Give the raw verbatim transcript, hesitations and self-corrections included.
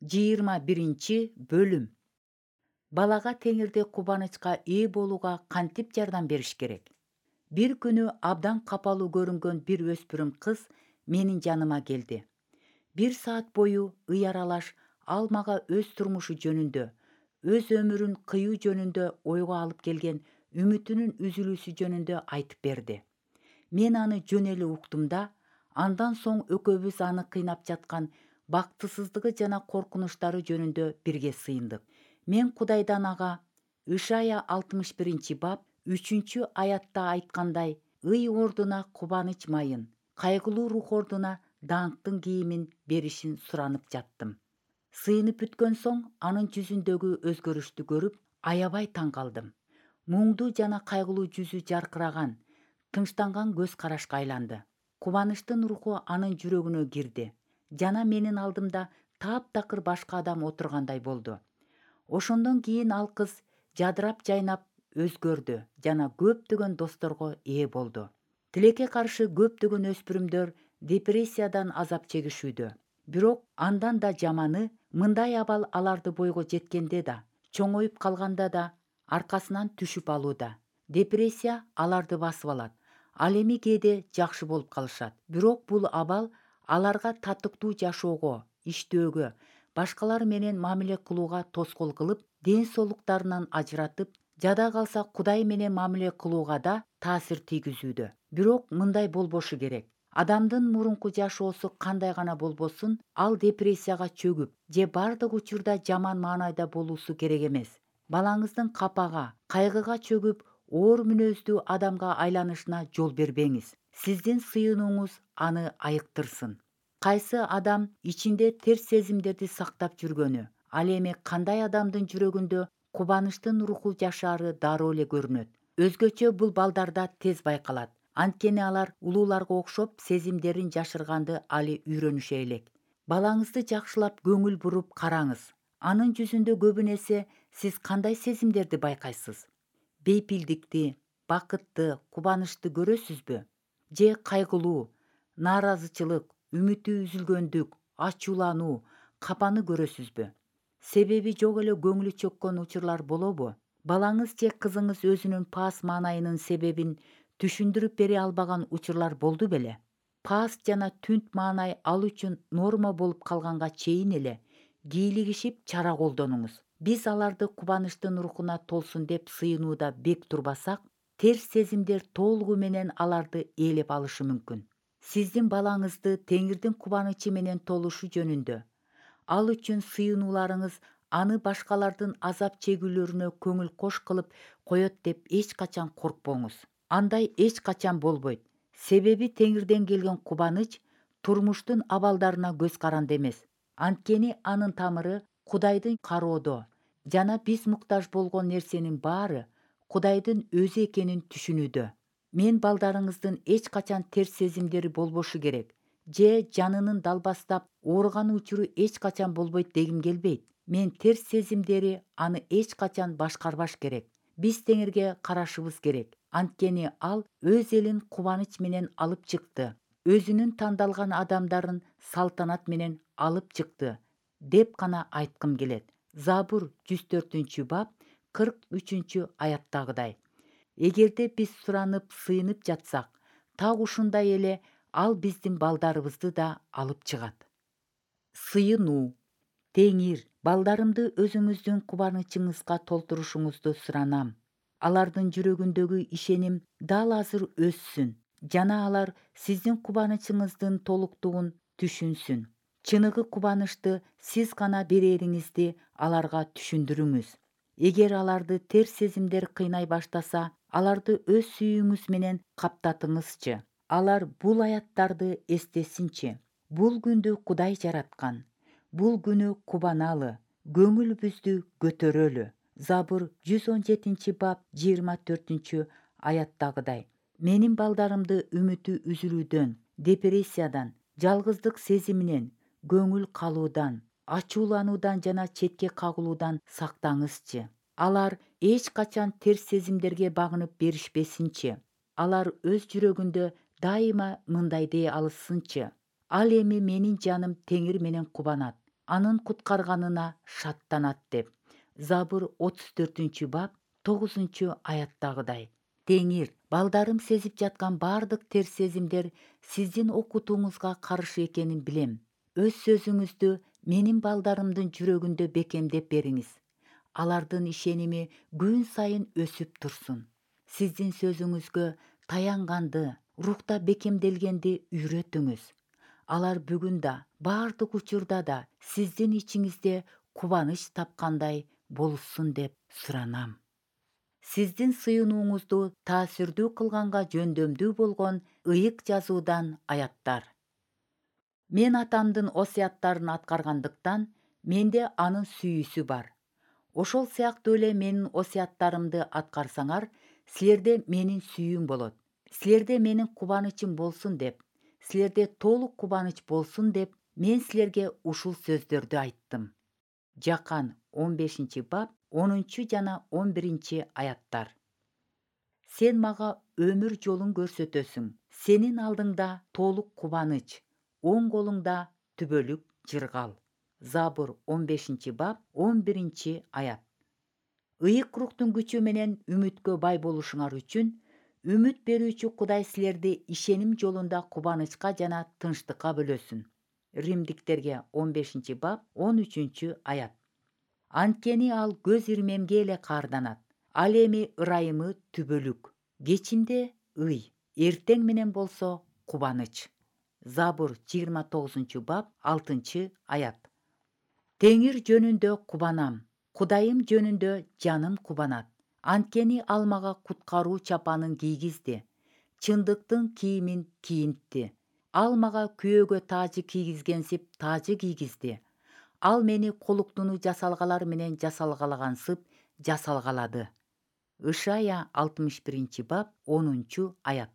жыйырма биринчи бөлүм. Балага теңирде кубанычка ээ болууга кантип жардам бериш керек? Бир күнү абдан капалуу көрүнгөн бир өспүрүм кыз менин жаныма келди. Бир саат бою ый аралаш ал мага өз турмушу жөнүндө, өз өмүрүн кыюу жөнүндө ойго алып келген үмүтүнүн үзүлүүсү жөнүндө айтып берди. Мен аны жөн эле уктум да, андан соң экөөбүз аны кыйнап жаткан бактысыздыгы жана коркунучтары жөнүндө бирге сыйындык. Мен Кудайдан ага Ишая алтымыш биринчи бап үчүнчү аятта айткандай, ый ордуна кубаныч майын, кайгылуу рух ордуна даңктын кийимин беришин суранып жаттым. Сыйынып бүткөн соң анын жүзүндөгү өзгөрүштү көрүп, аябай таң калдым. Муңдуу жана кайгылуу жүзү жаркыраган, тынчтанган көз карашка айланды. Кубанычтын руху анын жүрөгүнө кирди жана менин алдымда таптакыр башка адам отургандай болду. Ошондон кийин ал кыз жадырап жайнап өзгөрдү жана көптөгөн досторго ээ болду. Тилекке каршы көптөгөн өспүрүмдөр депрессиядан азап чегишүүдө. Бирок андан да жаманы, мындай абал аларды бойго жеткенде да, чоңоюп калганда да аркасынан түшүп алууда. Депрессия аларды басып алат. Ал эми кээде жакшы болуп калышат. Бирок бул абал аларга татыктуу жашоого, иштөөгө, башкалар менен мамиле кылууга тоскоол кылып, ден соолуктарынан ажыратып, жада калса Кудай менен мамиле кылууга да таасир тийгизүүдө. Бирок мындай болбошу керек. Адамдын мурунку жашоосу кандай гана болбосун, ал депрессияга чөгүп же бардык учурда жаман маанайда болуусу керек эмес. Балаңыздын капага, кайгыга чөгүп, оор мүнөздүү адамга айланышына жол бербеңиз. Сиздин сыйынууңуз аны айыктырсын. Кайсы адам ичинде терс сезимдерди сактап жүргөнү, ал эми кандай адамдын жүрөгүндө кубанычтын руху жашаары дароо эле көрүнөт. Өзгөчө бул балдарда тез байкалат. Анткени алар улууларга окшоп сезимдерин жашырганды али үйрөнүшө элек. Балаңызды жакшылап көңүл буруп караңыз. Анын жүзүндө көбүн эсе сиз кандай сезимдерди байкайсыз? Бейпилдикти, бакытты, кубанычты көрөсүзбү? Же кайгылуу, нааразычылык, үмүтү үзүлгөндүк, ачуулануу, капаны көрөсүзбү? Себеби жок эле көңүлү чөккөн учурлар болобу? Балаңыз же кызыңыз өзүнүн паас маанайынын себебин түшүндүрүп бере албаган учурлар болду беле? Паас жана түнт маанай ал үчүн норма болуп калганга чейин эле кийлигишип чара колдонуңуз. Биз аларды кубанычтын рухуна толсун деп сыйынууда бек турбасак, терс сезимдер толугу менен аларды ээлеп алышы мүмкүн. Сиздин балаңызды Теңирдин кубанычы менен толушу жөнүндө, ал үчүн сыйынууларыңыз аны башкалардын азап чегүүлөрүнө көңүл кош кылып коет деп эч качан коркпоңуз. Андай эч качан болбойт. Себеби Теңирден келген кубаныч турмуштун абалдарына көз каранды эмес. Анткени анын тамыры Кудайдын кароодо жана биз муктаж болгон нерсенин баары Кудайдын өзү экенин түшүнүүдө. Мен балдарыңыздын эч качан терс сезимдери болбошу керек же жанынын далбастап ооруган учуру эч качан болбойт дегим келбейт. Мен терс сезимдери аны эч качан башкарбаш керек. Биз Теңирге карашыбыз керек. Анткени ал өз элин кубаныч менен алып чыкты. Өзүнүн тандалган адамдарын салтанат менен алып чыкты деп гана айткым келет. Забур жүз төртүнчү бап кырк үчүнчү аяттагыдай. Эгерде биз суранып, сыйынып жатсак, так ушундай эле ал биздин балдарыбызды да алып чыгат. Сыйынуу. Теңир, балдарымды өзүңүздүн кубанычыңызга толтурушуңузду суранам. Алардын жүрөгүндөгү ишеним дал азыр өссүн жана алар сиздин кубанычыңыздын толуктугун түшүнсүн. Чыныгы кубанычты сиз гана берериңизди аларга түшүндүрүңүз. Эгер аларды терс сезимдер кыйнай баштаса, аларды өз сүйүүңүз менен каптатыңызчы. Алар бул аяттарды эстесинчи. Бул күндү Кудай жараткан. Бул күнү кубаналы, көңүлүбүздү көтөрөлү. Забур жүз он жетинчи бап жыйырма төртүнчү аяттагыдай. Менин балдарымды үмүтү үзүлүүдөн, депрессиядан, жалгыздык сезиминен, көңүл калуудан, ачуулануудан жана четке кагылуудан сактаңызчы. Алар эч качан терс сезимдерге багынып беришпесинчи. Алар өз жүрөгүндө дайыма мындай дей алышсынчы. Ал эми менин жаным Теңир менен кубанат. анын куткарганына шаттанат деп. Забур отуз төртүнчү бап тогузунчу аяттагыдай. Теңир, балдарым сезип жаткан бардык терс сезимдер сиздин окутууңузга каршы экенин билем. Өз сөзүңүздү менин балдарымдын жүрөгүндө бекемдеп бериңиз. Алардын ишеними күн сайын өсүп турсун. Сиздин сөзүңүзгө таянганды, рухта бекемделгенди үйрөтүңүз. Алар бүгүн да, бардык учурда да сиздин ичиңизде кубаныч тапкандай болушсун деп суранам. Сиздин сыйынууңузду таасирдүү кылганга жөндөмдүү болгон ыйык жазуудан аяттар. Мен атамдын осуяттарын аткаргандыктан менде анын сүйүүсү бар. Ошол сыяктуу эле менин осуяттарымды аткарсаңар, силерде менин сүйүүм болот. Силерде менин кубанычым болсун деп, силерде толук кубаныч болсун деп мен силерге ушул сөздөрдү айттым. Жакан он бешинчи бап онунчу жана он биринчи аяттар. Сен мага өмүр жолун көрсөтөсүң. Сенин алдыңда толук кубаныч, оң колуңда түбөлүк жыргал. Забур он бешинчи бап он биринчи аят. Ыйык руктун күчү менен үмүткө бай болушуңар үчүн үмүт берүүчү Кудай силерди ишеним жолунда кубанычка жана тынчтыкка бөлөсүн. Римдиктерге он бешинчи бап он үчүнчү аят. Анткени ал көз ирмемге эле каарданат. Ал эми ырайымы түбөлүк, кечинде ый, эртең менен болсо кубаныч. Забур жыйырма тогузунчу бап алтынчы аят. Теңир жөнүндө кубанам, Кудайым жөнүндө жаным кубанат. Анткени ал мага куткаруу чапанын кийгизди, чындыктын кийимин кийинтти. Ал мага күйөөгө таажы кийгизгенсип таажы кийгизди. Ал мени колуктуну жасалгалар менен жасалгалагансып жасалгалады. Ышая алтымыш биринчи бап онунчу аят.